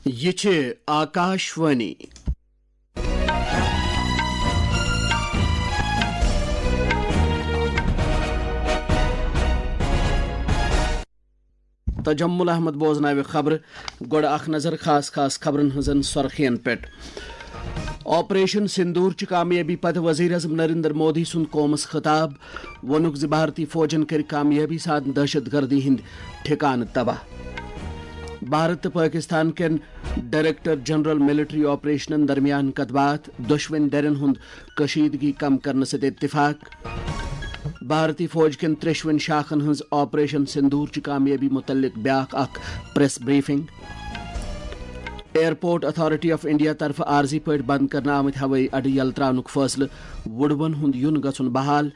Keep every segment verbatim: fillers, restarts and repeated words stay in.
یہِ چھِ آکاشوانی۔ تجمل احمد بوزناوِ خبرٕ۔ گۄڈٕ اکھ نظر خاص خاص خبرن ہٕنٛزن سۄرخین پٮ۪ٹھ۔ آپریشن سندور چہِ کامیٲبی پتہٕ وزیر اعظم نریندر مودی سُنٛد قومس خطاب۔ ووٚنُکھ زِ بھارتی فوجن کٔرۍ کامیٲبی سان دہشت گردی ہٕنٛدۍ ٹھکانہٕ تباہ۔ بھارت تہٕ پٲکِستان کٮ۪ن ڈائریکٹر جنرل ملٹری آپریشنن درمیان کتھ باتھ، دۄشوٕنۍ دھرٮ۪ن ہُنٛد کشیدگی کم کرنہٕ سۭتۍ اتفاق۔ بھارتی فوج کٮ۪ن ترٛیشوٕنۍ شاخن ہٕنٛز آپریشن سندور چہِ کامیٲبی مُتعلق بیٛاکھ اکھ press briefing. Airport authority of India طرفہٕ عارضی پٲٹھۍ بند کرنہٕ آمٕتۍ ہوٲیی اڈٕ یلہٕ ترٛاونُک فٲصلہٕ، وُڑوَن ہُنٛد یُن گژھُن بحال،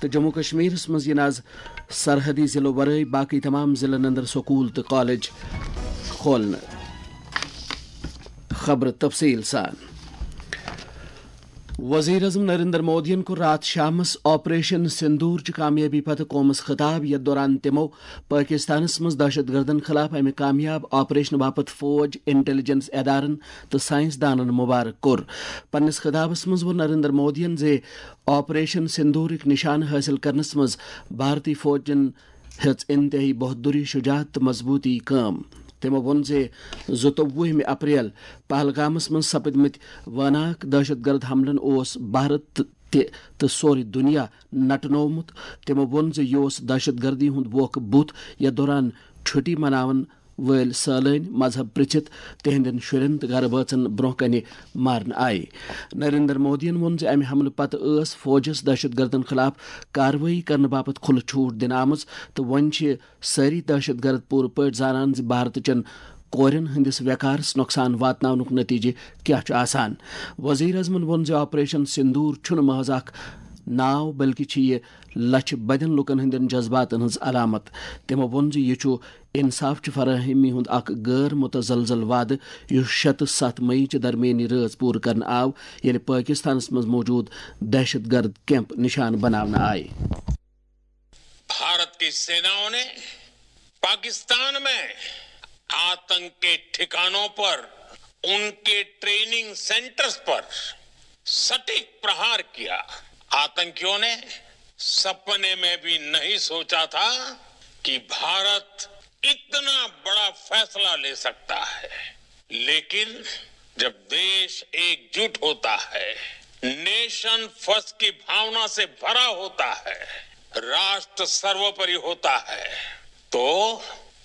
تہٕ جموں کشمیرس منٛز یِن از سرحدی ضلعو ورٲے باقٕے تمام ضلعن اندر سکوٗل تہٕ کالج کھولنہٕ۔ خبرٕ تفصیٖل سان۔ وزیر اعظم نریندر مودیَن کوٚر راتھ شامَس آپریشن سندور چہِ کامیٲبی پتہٕ قومَس خطاب، یَتھ دوران تِمَو پٲکِستانَس منٛز دہشت گردَن خلاف اَمہِ کامیاب آپریشن باپتھ فوج، انٹیلیجنس ادارَن تہٕ سائنس دانَن مبارک کوٚر۔ پننِس خطابَس منٛز ووٚن نریندر مودیَن زِ آپریشن سندورٕکۍ نشانہٕ حٲصِل کرنَس منٛز بھارتی فوجَن ہیٚژ انتہٲئی بہادری، شجاعت تہٕ مضبوٗطی کٲم۔ تٔمۍ ووٚن زِ زٕتووُہمہِ اپریل پہلگامَس منٛز سپٕدمٕتۍ وٲناکھ دہشت گرد حملن اوس بھارت تہِ تہٕ سورُے دُنیا نٹنوومُت۔ تٔمۍ ووٚن زِ یہِ اوس دہشت گردی ہُنٛد ووکھٕ بُتھ، یَتھ دوران چھُٹی مناون وٲلۍ سٲلٲنۍ مذہب پرٛژھِتھ تِہنٛدٮ۪ن شُرٮ۪ن تہٕ گرٕ بٲژن برٛونٛہہ کنہِ مارنہٕ آیہِ۔ نریندر مودیَن ووٚن زِ اَمہِ حملہٕ پتہٕ ٲس فوجَس دہشت گردن خلاف کاروٲیی کرنہٕ باپتھ کھُلہٕ چھوٗٹ دِنہٕ آمٕژ تہٕ وۄنۍ چھِ سٲری دہشت گرد پوٗرٕ پٲٹھۍ زانان زِ بھارتٕچٮ۪ن کورٮ۪ن ہٕنٛدِس وقارَس نۄقصان واتناونُک نتیجہٕ کیٛاہ چھُ آسان۔ وزیر اعظمَن ووٚن زِ آپریشن سندور چھُنہٕ محض اکھ ناو، بلکہِ چھِ یہِ لچھِ بدٮ۪ن لوٗکَن ہٕنٛدٮ۪ن جذباتَن ہٕنٛز علامت۔ تٔمۍ ووٚن زِ یہِ چھُ انصاف چہِ فراہمی ہُنٛد اکھ غٲر متزلزل وعدٕ، یُس شےٚ تہٕ ستھ مئی چہِ درمیٲنی رٲژ پوٗرٕ کرنہٕ آو، ییٚلہِ پٲکِستانَس منٛز موجود دہشت گرد کیمپ نشانہٕ بناونہٕ آیہِ۔ भारत की सेनाओं ने पाकिस्तान में आतंक के ठिकानों पर, उनके ट्रेनिंग सेंटर्स पर सटीक प्रहार किया। आतंकियों ने सपने में भी नहीं सोचा था कि भारत इतना बड़ा फैसला ले सकता है, लेकिन जब देश एकजुट होता है, नेशन फर्स्ट की भावना से भरा होता है, राष्ट्र सर्वोपरि होता है, तो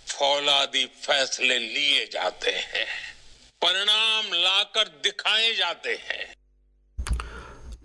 फौलादी फैसले लिए जाते हैं, परिणाम लाकर दिखाए जाते हैं।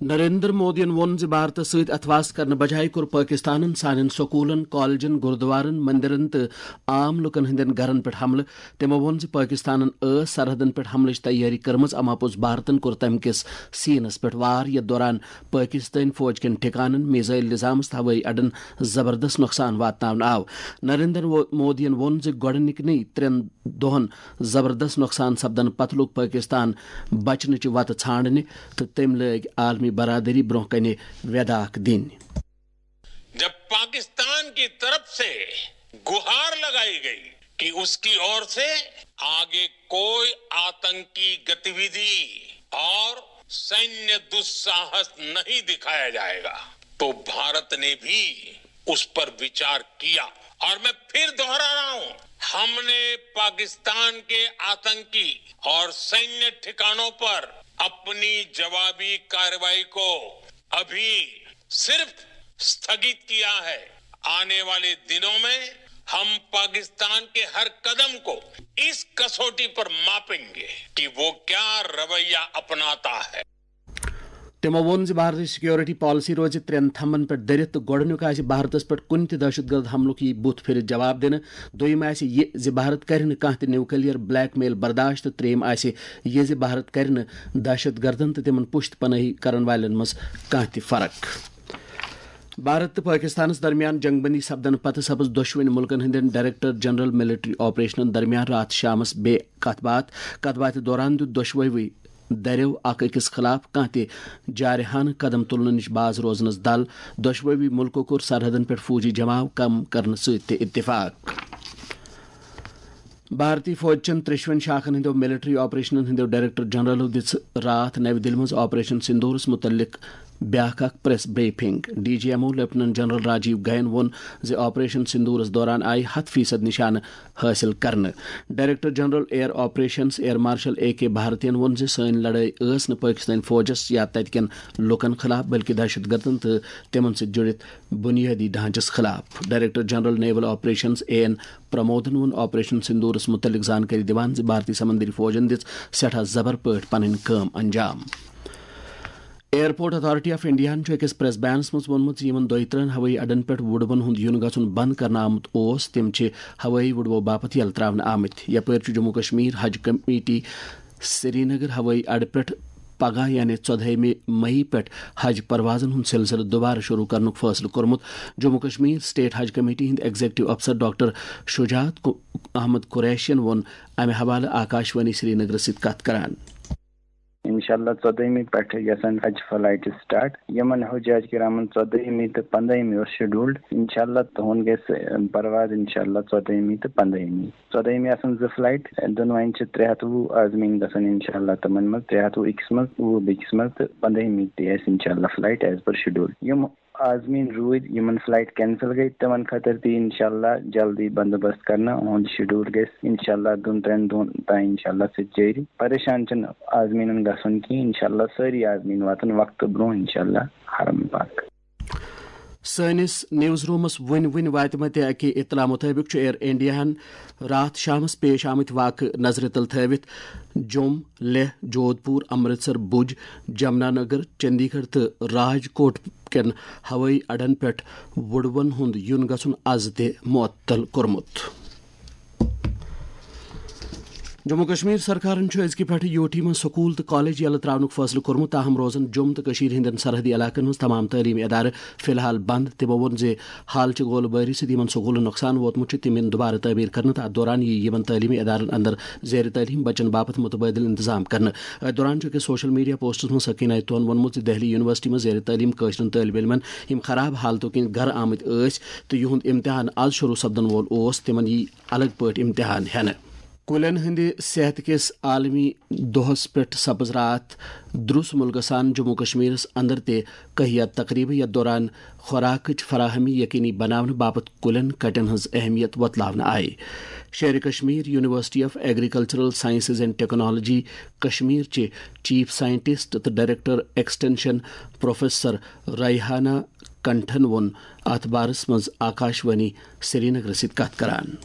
نریندر مودیَن ووٚن زِ بھارتَس سۭتۍ اتھواس کرنہٕ بجایہِ کوٚر پٲکِستانَن سانٮ۪ن سکوٗلَن، کالجن، گُردوارن، مندرن تہٕ عام لوٗکَن ہٕنٛدٮ۪ن گرَن پٮ۪ٹھ حملہٕ۔ تٔمۍ ووٚن زِ پٲکِستانَن ٲس سرحدَن پٮ۪ٹھ حملٕچ تیٲری کٔرمٕژ، اما پوٚز بھارتَن کوٚر تَمہِ کِس سینَس پٮ۪ٹھ وار، یَتھ دوران پٲکِستٲنۍ فوج کٮ۪ن ٹھِکانَن، میزائل نظامَس تہٕ ہوٲیی اڈَن زبردست نۄقصان واتناونہٕ آو۔ نریندر مو-، مودیَن ووٚن زِ گۄڈٕنِکۍ ترٛٮ۪ن دۄہَن زبردست نۄقصان سپدنہٕ پتہٕ لوٚگ پٲکِستان بچنٕچہِ وتہٕ ژھانڈنہِ تہٕ تٔمۍ لٲگۍ عالمی برادری برونٛہہ کنہِ ویداکھ دِنۍ۔ जब पाकिस्तान की तरफ से गुहार लगाई गई कि उसकी ओर से आगे कोई आतंकी गतिविधि और सैन्य दुस्साहस नहीं दिखाया जाएगा, तो भारत ने भी उस पर विचार किया। और मैं फिर दोहरा रहा हूं, हमने पाकिस्तान के आतंकी और सैन्य ठिकानों पर अपनी जवाबी कार्रवाई को अभी सिर्फ स्थगित किया है। आने वाले दिनों में हम पाकिस्तान के हर कदम को इस कसौटी पर मापेंगे कि वो क्या रवैया अपनाता है। تِمو ووٚن زِ بھارتٕچ سیکورٹی پالیسی روزِ ترٛٮ۪ن تھمبن پٮ۪ٹھ دٔرِتھ تہٕ گۄڈٕنیُک آسہِ بھارتس پٮ۪ٹھ کُنہِ تہِ دہشت گرد حملُک یی بُتھ پھِرِتھ جواب دِنہٕ، دوٚیِم آسہِ یہِ زِ بھارت کرِ نہٕ کانٛہہ تہِ نیوکلیر بلیک میل برداشت تہٕ ترٛیٚیِم آسہِ یہِ زِ بھارت کرِ نہٕ دہشت گردن تہٕ تِمن پُشت پنٲہی کرن والٮ۪ن منٛز کانٛہہ تہِ فرق۔ بھارت تہٕ پٲکِستانَس درمیان جنگ بندی سپدنہٕ پتہٕ سپٕز دۄشوٕنی مُلکَن ہٕنٛدٮ۪ن ڈائریکٹر جنرل ملٹری آپریشنَن درمیان راتھ شامَس بیٚیہِ کتھ باتھ۔ کتھ باتھِ دوران دیُت دۄشوٕے دھرٮ۪و اکھ أکِس خلاف کانٛہہ تہِ جارحانہٕ قدم تُلنہٕ نِش باز روزنَس دل۔ دۄشوٕے مُلکو کوٚر سرحدَن پٮ۪ٹھ فوجی جماو کم کرنہٕ سۭتۍ تہِ اتفاق۔ بھارتی فوج چٮ۪ن ترٛیٚشوَن شاخن ہٕنٛدیو ملٹری آپریشنن ہٕنٛدیو ڈائریکٹر جنرلو دِژ راتھ نَوِ دِلہِ منٛز آپریشن سندورس مُتعلق بیٛاکھ اکھ press briefing. D G M O lieutenant general Rajiv گین ووٚن زِ آپریشن سندورس دوران آیہِ ہَتھ فیصد نشانہٕ حٲصِل کرنہٕ۔ Director general air operations air marshal A K بھارتین ووٚن زِ سٲنۍ لڑٲے ٲس نہٕ پٲکستٲنۍ فوجس یا تَتہِ کٮ۪ن لوٗکن خلاف، بلکہِ دہشت گردن تہٕ تِمن سۭتۍ جُڑِتھ بُنیٲدی ڈھانچس خلاف۔ Director general naval operations A N پرمودن ووٚن آپریشن سندورس مُتعلق زانکٲری دِوان زِ بھارتی سمندری فوجن دِژ سٮ۪ٹھاہ زبر پٲٹھۍ پنٕنۍ کٲم انجام۔ ایئرپورٹ اتھارٹی آف انڈیاہن چھُ أکِس پریس بیانس منٛز ووٚنمُت زِ یِمن دۄیہِ ترٛہن ہوٲیی اڈن پٮ۪ٹھ وُڈوَن ہُنٛد یُن گژھُن بنٛد کرنہٕ آمُت اوس، تِم چھِ ہوٲیی وُڈوَو باپتھ یلہٕ ترٛاونہٕ آمٕتۍ۔ یپٲرۍ چھُ جموں کشمیر حج کمیٹی سرینگر ہوٲیی اڈٕ پٮ۪ٹھ پگاہ یعنی ژۄدہٲیمہِ مئی پٮ۪ٹھ حج پروازن ہُنٛد سلسلہٕ دوبارٕ شروع کرنُک فٲصلہٕ کوٚرمُت۔ جموں کشمیر سٹیٹ حج کمیٹی ہٕنٛدۍ ایگزیکٹو افسر ڈاکٹر شجاعت کو-، احمد قریشین ووٚن امہِ حوالہٕ آکاشوانی سرینگرس سۭتۍ کتھ کران۔ انشاءاللہ ژۄدٲہمہِ پٮ۪ٹھٕ گژھن حج فلائٹ سٹارٹ۔ یِمن حجاج کرامن ژۄدٲہمہِ تہٕ پنٛدٲہمہِ اوس شیڈولڈ۔ انشاءاللہ تُہُنٛد گژھِ پرواز انشاءاللہ ژۄدٲہمہِ تہٕ پنٛدٲہمہِ۔ ژۄدٲہمہِ آسن زٕ فلائٹ، دۄنوَے چھِ ترٛےٚ ہَتھ وُہ عازمیٖن گژھن انشاءاللہ تِمن منٛز، ترٛےٚ ہَتھ وُہ أکِس منٛز، وُہ بیٚکِس منٛز تہٕ پنٛدٲہمہِ تہِ آسہِ انشاءاللہ فلائٹ ایز پر شیڈول۔ یِم عازمیٖن روٗدۍ، یِمن فلائٹ کینسل گٔے، تِمن خٲطرٕ تہِ انشاءاللہ جلدی بندوبست کرنہٕ۔ اُہُنٛد شیڈول گژھِ انشاءاللہ دۄن ترٛٮ۪ن دۄہن تام انشاءاللہ سۭتۍ جٲری۔ پریشان چھِنہٕ عازمیٖنن گژھُن کینٛہہ، انشاءاللہ سٲری عازمیٖن واتن وقتہٕ برونٛہہ انشاءاللہ حرم پاک۔ سٲنِس نیوز رومس وُنہِ وُنہِ واتہِ مٕتہِ اکہِ اطلاع مُطٲبِق چھُ ایئر انڈیاہن راتھ شامس پیش آمٕتۍ واقعہٕ نظرِ تل تھٲوِتھ جوٚم، لیہہ، جودھ پوٗر، امرتسر، بھُج، جمنا نگر، چندی گڑھ تہٕ راج کوٹ کٮ۪ن ہوٲیی اڈن پٮ۪ٹھ وُڈوَن ہُنٛد یُن گژھُن از تہِ معطل کوٚرمُت۔ جموں کشمیر سرکارن چھُ أزکہِ پٮ۪ٹھٕ یوٗ ٹی منٛز سکوٗل تہٕ کالج یلہٕ ترٛاونُک فٲصلہٕ کوٚرمُت، تاہم روزن جوٚم تہٕ کٔشیٖر ہٕنٛدٮ۪ن سرحدی علاقن منٛز تمام تعلیمی ادارٕ فی الحال بند۔ تِمو ووٚن زِ حالچہِ گولہٕ بٲری سۭتۍ یِمن سکوٗلن نۄقصان ووتمُت چھُ، تِم یِن دُبارٕ تعمیٖر کرنہٕ تہٕ اتھ دوران یِیہِ یِمن تعلیمی ادارن اندر زیر تعلیٖم بچن باپتھ متبادل انتظام کرنہٕ۔ اتھ دوران چھُ أکِس سوشل میڈیا پوسٹس منٛز سکینہ آیتون ووٚنمُت زِ دہلی یونیورسٹی منٛز زیر تعلیٖم کٲشرٮ۪ن طٲلبہِ علمن یِم خراب حالتو کِنۍ گرٕ آمٕتۍ ٲسۍ تہٕ یِہُنٛد امتحان از شروع سپدن وول اوس، تِمن یِیہِ الگ پٲٹھۍ امتحان ہٮ۪نہٕ۔ کُلٮ۪ن ہٕنٛدِ صحت کِس عالمی دۄہس پٮ۪ٹھ سپٕز راتھ درُس مُلکس سان جموں کشمیرس اندر تہِ کہیہ تقریبہٕ، یتھ دوران خوراکٕچ فراہمی یقینی بناونہٕ باپتھ کُلٮ۪ن کٹٮ۪ن ہٕنٛز اہمیت وۄتلاونہٕ آیہِ۔ شیرِ Kashmir university of agricultural sciences and technology Kashmir چہِ چیف سائنٹسٹ تہٕ ڈائریکٹر ایکسٹینشن پروفیسر ریحانہ کنٹھن ووٚن اتھ بارس منٛز آکاشوانی سرینگرس سۭتۍ کتھ کران۔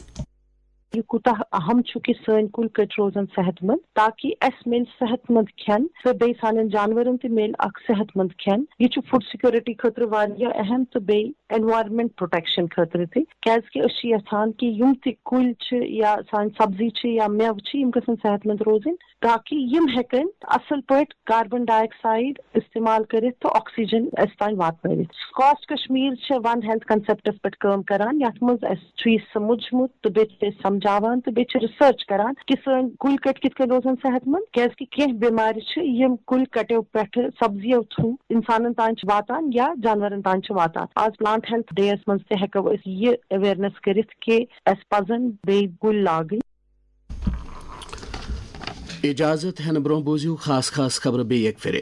یہِ کوٗتاہ اہم چھُ کہِ سٲنۍ کُلۍ کٔٹۍ روزن صحت مند، تاکہِ اسہِ میلہِ صحت مند کھٮ۪ن تہٕ بیٚیہِ سانٮ۪ن جانورن تہِ میلہِ اکھ صحت مند کھٮ۪ن۔ یہِ چھُ فوڈ سیکورٹی خٲطرٕ واریاہ اہم تہٕ بیٚیہِ انوائرمنٹ پروٹیکشن خٲطرٕ تہِ، کیازِ کہِ أسۍ چھِ یژھان کہِ یِم تہِ کُلۍ چھِ یا سانہِ سبزی چھِ یا مٮ۪وٕ چھِ، یِم گژھن صحت مند روزٕنۍ، تاکہِ یِم ہیٚکن اصل پٲٹھۍ کاربن ڈائی آکسائیڈ استعمال کٔرِتھ تہٕ آکسیجن اسہِ تام واتنٲوِتھ۔ کاسٹ کشمیر چھِ ون ہیلتھ کنسپٹس پٮ۪ٹھ کٲم کران، یتھ منٛز اسہِ چھُ یہِ سمجھمُت تہٕ بیٚیہِ چھِ أسۍ سمجھاوان تہٕ بیٚیہِ چھِ ریسرچ کران کہِ سٲنۍ کُلۍ کٔٹۍ کِتھ کٔنۍ روزن صحت مند، کیازِ کہِ کینٛہہ بٮ۪مارِ چھِ یِم کُلۍ کٹیو پٮ۪ٹھٕ سبزیو تھرو انسانن تام چھِ واتان یا جانورن تام چھِ واتان۔ آز پلانٹ ہیلتھ ڈے یس منٛز تہِ ہیٚکو أسۍ یہِ اویئرنیس کٔرِتھ کہِ اسہِ پزن بیٚیہِ کُلۍ لاگٕنۍ۔ اجازت ہینہٕ برونٛہہ بوٗزِو خاص خاص خبرٕ بیٚیہِ اکہِ پھِرِ۔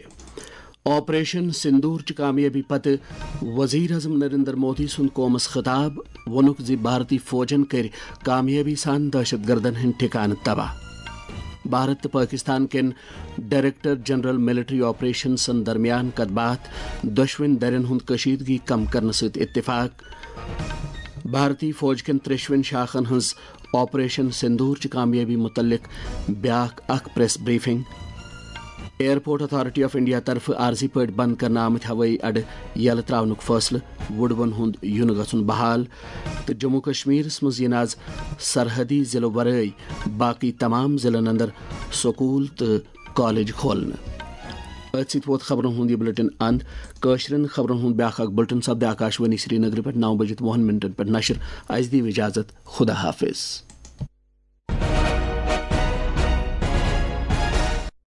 آپریشن سندور چہِ کامیٲبی پتہٕ وزیر اعظم نریندر مودی سُنٛد قومس خطاب، ووٚنُکھ زِ بھارتی فوجن کٔرۍ کامیٲبی سان دہشت گردن ہٕنٛدۍ ٹھکانہٕ تباہ۔ بھارت تہٕ پٲکستان کٮ۪ن ڈائریکٹر جنرل ملٹری آپریشنزن درمیان کتھ باتھ، دۄشوٕنۍ دَرٮ۪ن ہُنٛد کشیدگی کم کرنہٕ سۭتۍ اتفاق۔ بھارتی فوج کٮ۪ن ترٛیشوٕنۍ شاخن ہٕنٛز آپریشن سندور چہِ کامیٲبی مُتعلق بیٛاکھ اکھ press briefing. Airport authority of India طرفہٕ عارضی پٲٹھۍ بند کرنہٕ آمٕتۍ ہوٲیی اڈٕ یلہٕ ترٛاونُک فٲصلہٕ، وُڈوَن ہُنٛد یُن گژھُن بحال، تہٕ جموں کشمیرس منٛز یِن از سرحدی ضلعہٕ ورٲے باقٕے تمام ضلعن اندر سکوٗل تہٕ کالج کھولنہٕ۔ أتھۍ سۭتۍ ووت خبرن ہُنٛد یہِ بلیٹن اند۔ کٲشرٮ۪ن خبرن ہُنٛد بیٛاکھ اکھ بلیٹن سپدِ آکاشوانی سرینگرٕ پٮ۪ٹھ نَو بجے تہٕ وُہن منٹن پٮ۪ٹھ نشر۔ اسہِ دِیِو اجازت، خدا حافظ۔